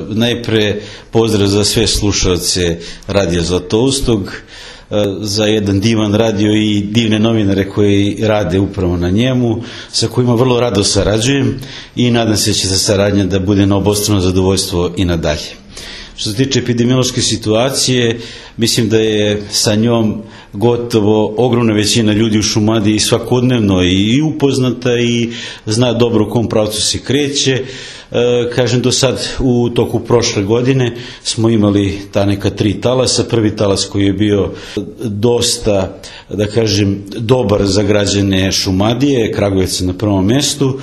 Najpre pozdrav za sve slušalce Radija Zlatoustog, za jedan divan radio i divne novinare koji rade upravo na njemu, sa kojima vrlo rado sarađujem i nadam se da će ta saradnja da bude na obostrano zadovoljstvo i nadalje. Što se tiče epidemiološke situacije, mislim da je sa njom gotovo ogromna većina ljudi u Šumadiji svakodnevno i upoznata i zna dobro u kom pravcu se kreće. Kažem, do sad u toku prošle godine smo imali ta neka 3 talasa. Prvi talas koji je bio dosta, da kažem, dobar za građane Šumadije, Kragujevca na prvom mestu.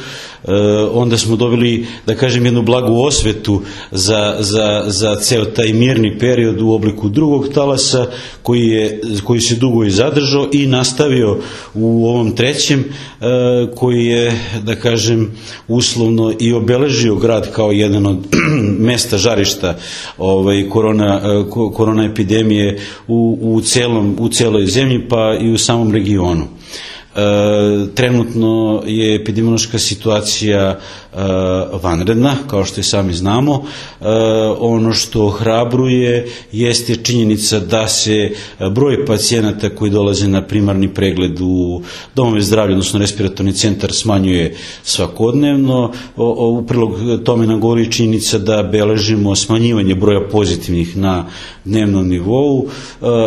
Onda smo dobili, da kažem, jednu blagu osvetu za ceo taj mirni period u obliku drugog talasa koji se dugo i zadržao i nastavio u ovom trećem, koji je, da kažem, uslovno i obeležio grad kao jedan od mesta žarišta korona epidemije u celoj zemlji pa i u samom regionu. Trenutno je epidemiološka situacija vanredna, kao što i sami znamo. Ono što ohrabruje jeste činjenica da se broj pacijenata koji dolaze na primarni pregled u domove zdravlja, odnosno respiratorni centar, smanjuje svakodnevno. U prilog tome nam govori činjenica da beležimo smanjivanje broja pozitivnih na dnevnom nivou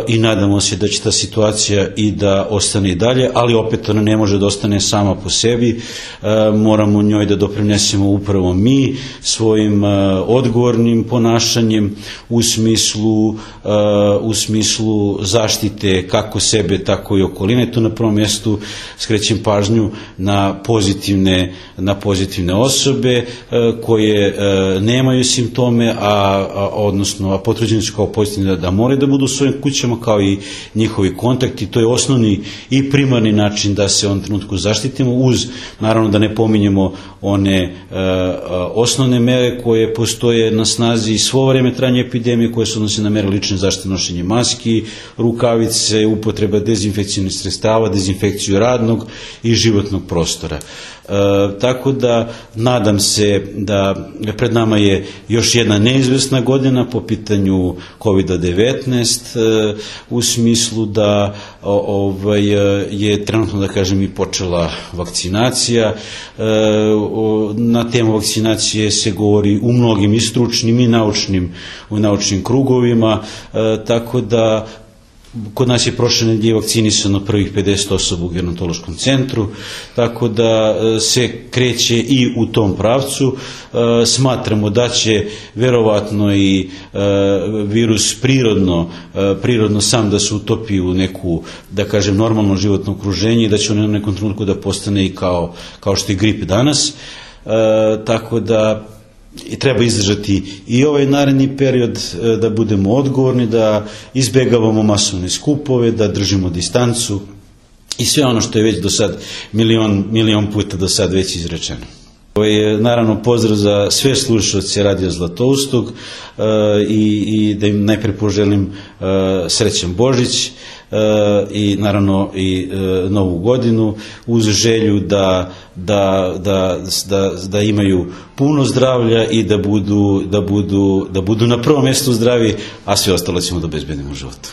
i nadamo se da će ta situacija i da ostane i dalje, ali opet ona ne može da ostane sama po sebi. Moramo njoj da doprinesemo upravo mi svojim odgovornim ponašanjem u smislu zaštite kako sebe, tako i okoline. Tu na prvom mjestu skrećem pažnju na pozitivne osobe koje nemaju simptome, odnosno potvrđeni su kao pozitivni da moraju da budu u svojim kućama, kao i njihovi kontakti. To je osnovni i primarni način da se u ovom trenutku zaštitimo, uz, naravno, da ne pominjemo one osnovne mere koje postoje na snazi svo vreme trajanja epidemije, koje se odnose na mere lične zaštite, nošenje maski, rukavice, upotreba dezinfekcijnih sredstava, dezinfekciju radnog i životnog prostora. Tako da nadam se da pred nama je još jedna neizvesna godina po pitanju COVID-19, u smislu da je trenutno, da kažem, i počela vakcinacija. Na temu vakcinacije se govori u mnogim i stručnim i naučnim krugovima, tako da kod nas je prošle nedelje vakcinisano prvih 50 osoba u gerontološkom centru, tako da se kreće i u tom pravcu. Smatramo da će verovatno i virus prirodno sam da se utopi u neku, da kažem, normalno životno okruženje i da će on u nekom trenutku da postane i kao što je grip danas. Tako da treba izdržati i ovaj naredni period, da budemo odgovorni, da izbegavamo masovne skupove, da držimo distancu i sve ono što je već do sad milion puta do sad već izrečeno. Naravno, pozdrav za sve slušalce Radija Zlatoustog i da im najpre poželim srećan Božić i naravno i Novu godinu, uz želju da imaju puno zdravlja i da budu na prvom mjestu zdravi, a sve ostalo ćemo da obezbedimo u životu.